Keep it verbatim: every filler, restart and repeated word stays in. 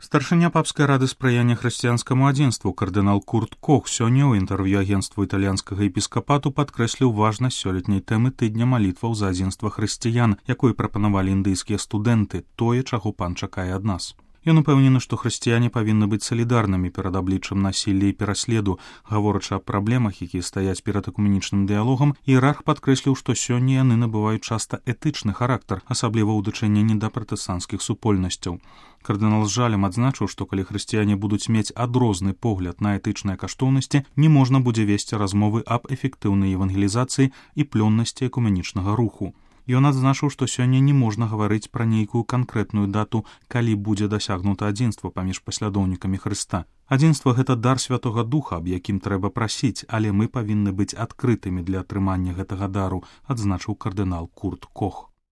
Старшыня папскай рады спрыяння хрысціянскаму адзінству кардынал Курт Кох сёння ў інтэрв'ю агенцтву італьянскага епіскапату падкрэсліў важнасць сёлетняй тэмы тыдня малітваў за адзінства хрысціян, якой прапанавалі індыйскія студэнты, тое, чаго пан чакае ад нас. Ён упэўнены, што хрысціяне павінны быць салідарнымі перад абліччам насілля і пераследу. Гаворачы аб праблемах, якія стаяць перад экуменічным дыялогам, іерарх падкрэсліў, што сёння яны набываюць часта этычны характар, асабліва ў дачыненні да пратэстанцкіх супольнасцяў. Кардынал з жалем адзначыў, што калі хрысціяне будуць мець адрозны погляд на этычныя каштоўнасці, не можна будзе весці размовы аб эфектыўнай евангелізацыі і плённасці экуменічнага руху. Ён адзначыў, што сёння не можна гаварыць пра нейкую канкрэтную дату, калі будзе дасягнута адзінства паміж паслядоўнікамі Хрыста. Адзінства – гэта дар Святога Духа, аб якім трэба прасіць, але мы павінны быць адкрытымі для атрымання гэтага дару, адзначыў кардынал Курт Кох.